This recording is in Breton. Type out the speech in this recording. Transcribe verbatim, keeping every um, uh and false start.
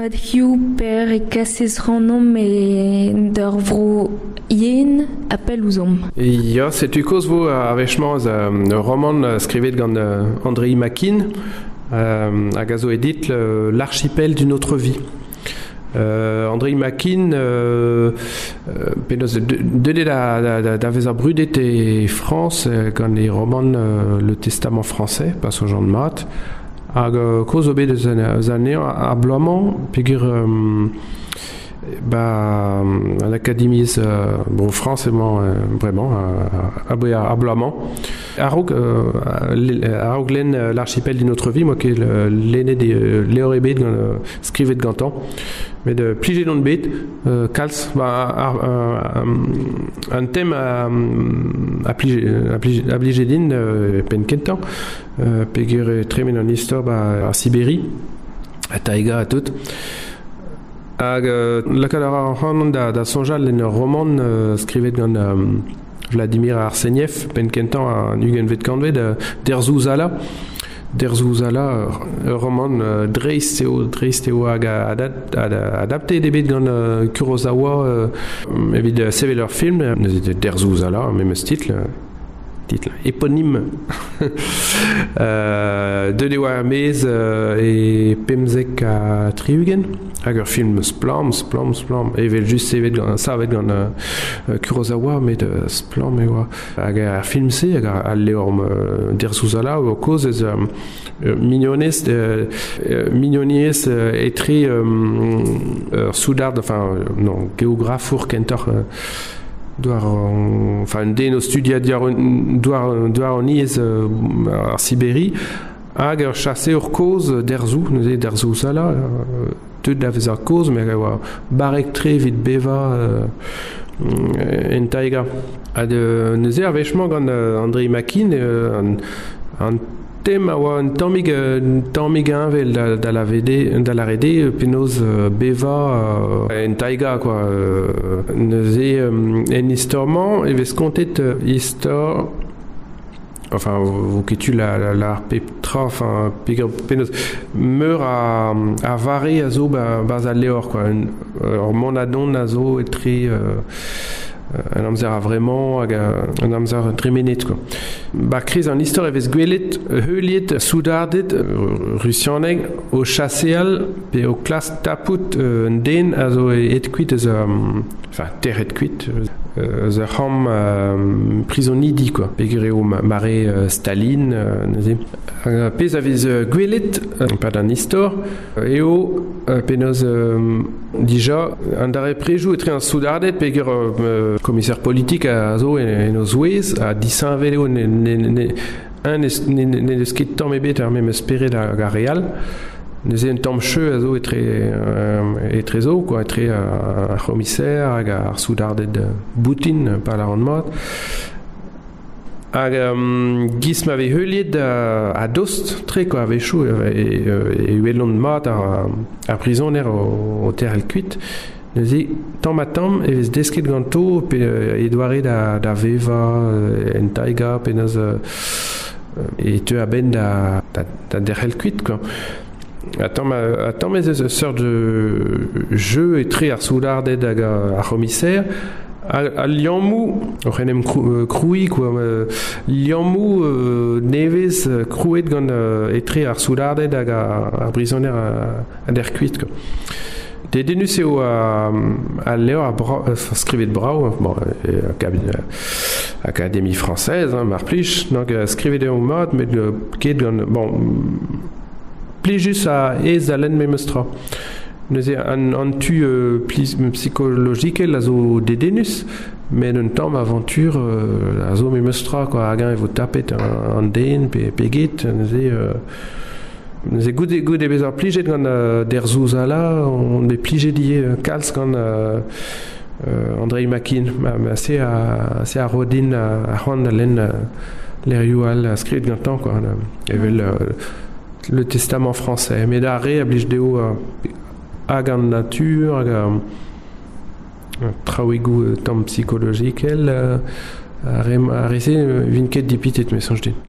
Mat hiziv per e kasez ac'hanomp e d'ur vro yen ha pell ouzhomp. Ya, setu kaoz vo ar wech-mañ eus ur romant skrivet gant Andrei Makin euh, hag a zo e ditl L'archipel d'une autre vie. Euh, Andrei Makin euh, penaos deuet da, da, da, da vezañ brudet e Frañs gant e romant euh, Le Testament français, pa soñjan mat. Hag euh, kaoz zo bet eus anezhañ ar bloaz-mañ peogwir euh, ba an akademiezh euh, bon Frañs emañ euh, bremañ aboe ar bloaz-mañ. A-raok euh, a-raok lenn L'archipel d'une autre vie, 'moa ket lennet e levr ebet gant euh, skrivet gantañ. Met euh, plijet on bet euh, kalz ba ar, ar, an tem a, a plije a plije, a blije din euh, penn kentañ euh, peogwir e tremen an istor ba ar Siberi ha taiga ha tout. Hag euh, lakaat a ra ac'hanon da, da soñjal en ur romant euh, skrivet gant euh, Vladimir Arseniev, penn kentañ an ugentvet kantved, euh, Derzouzala. Derzouzala, ur romant euh, dreist eo, dreist eo hag adaptet eo bet gant euh, Kurosawa euh, evit sevel ur film, neuze Derzouzala, memes titl, titl éponyme. euh, deuet eo er-maez euh, e pemzek ha tri-ugent, hag ur film splann, splann, splann, evel just sevet gant, savet gant euh, Kurosawa, met euh, splann e oa. Hag ar film-se, hag al levr euh, Derzouzala, o kaoz eus euh, mignonez, euh, mignoniezh euh, etre euh, ur soudard, enfin, non, geografour kentoc'h, euh, douar enfin un den o studiañ douar douaroniezh euh, ar Siberi hag ur chaseour kozh Derzou, neuze Derzouzala, euh, deuet da vezañ kozh, met a oa barrek-tre evit bevañ euh, en taiga. Ha de, neuze ar wech-mañ gant euh, Andrei Makin, euh, an, an tem a oa un tammig un tammig heñvel da, da la V D, da la R D penaos bevañ euh, en taiga quoi. Euh, neuze euh, en istor-mañ e vez kontet euh, istor enfin vo ket tu la, la, la pep tra enfin penaos meur a, a vare a zo ba, barzh al levr quoi. Un, ur mont ha dont a zo etre euh, un amzer a vremañ hag un amzer tremenet quoi. Ba kriz an istor e vez gwelet heuliet soudarded rusianeg o chaseal pe o klask tapout un den a zo aet kuit eus enfin tec'het kuit eus ur c'hamp euh, prizonidi quoi. Peogwir eo mare euh, Staline euh, neuze. Hag pezh a vez gwelet pad an istor eo penaos euh, dija an darempredoù etre an soudarded peogwir euh, commissaire politique a zo en o zouez ha disheñvel eo ne, ne, ne, un ne, ne deus ket tamm ebet ar memes spered hag ar re all. Neuze un tamm cheu a zo etre euh, etrezo quoi, etre ar c'homiser hag ar soudarded boutin pa lâran mat. Hag um, giz ma vez heuliet a, a dost tre quoi, a-wechoù e, e, e welont mat ar, ar prizoner o, o terc'hel kuit. Neuze tamm ha tamm e vez desket ganto pe e doare da, da vevañ en taiga penaos e teu a-benn da, da, da derc'hel kuit quoi. Ha tamm ha tamm ez eus ur seurt jeu etre ar soudarded hag ar c'homiser al liammoù oc'h en em krouiñ quoi, liammoù nevez krouet gant etre ar soudarded hag ar brizoner a dec'h kuit quoi. Dedennus eo al levr a bra, skrivet brav, bon, Académie française, hein, mar plij, donc skrivet eo mat, met ket gant, bon, plijus ha aes da lenn memes tra. Neuze an, an tu euh, psikologikel a zo dedennus, met un tamm aventure euh, a zo memes tra, quoi, hag-eñ e vo tapet an, an den pe, pe get, neuze euh, neuze goude, goude bezañ plijet gant euh, Derzouzala, on bet plijet ivez kalz gant euh, euh, Andrei Makin. Ma, ma se a, se a ro din ar c'hoant da lenn levrioù all skrivet gantañ quoi, evel euh, Le Testament français. Met ar re a blij dezho euh, hag an natur, hag euh, traoùigoù tamm psikologikel, euh, ar re, ar re-se vint ket dipitet, me soñj din.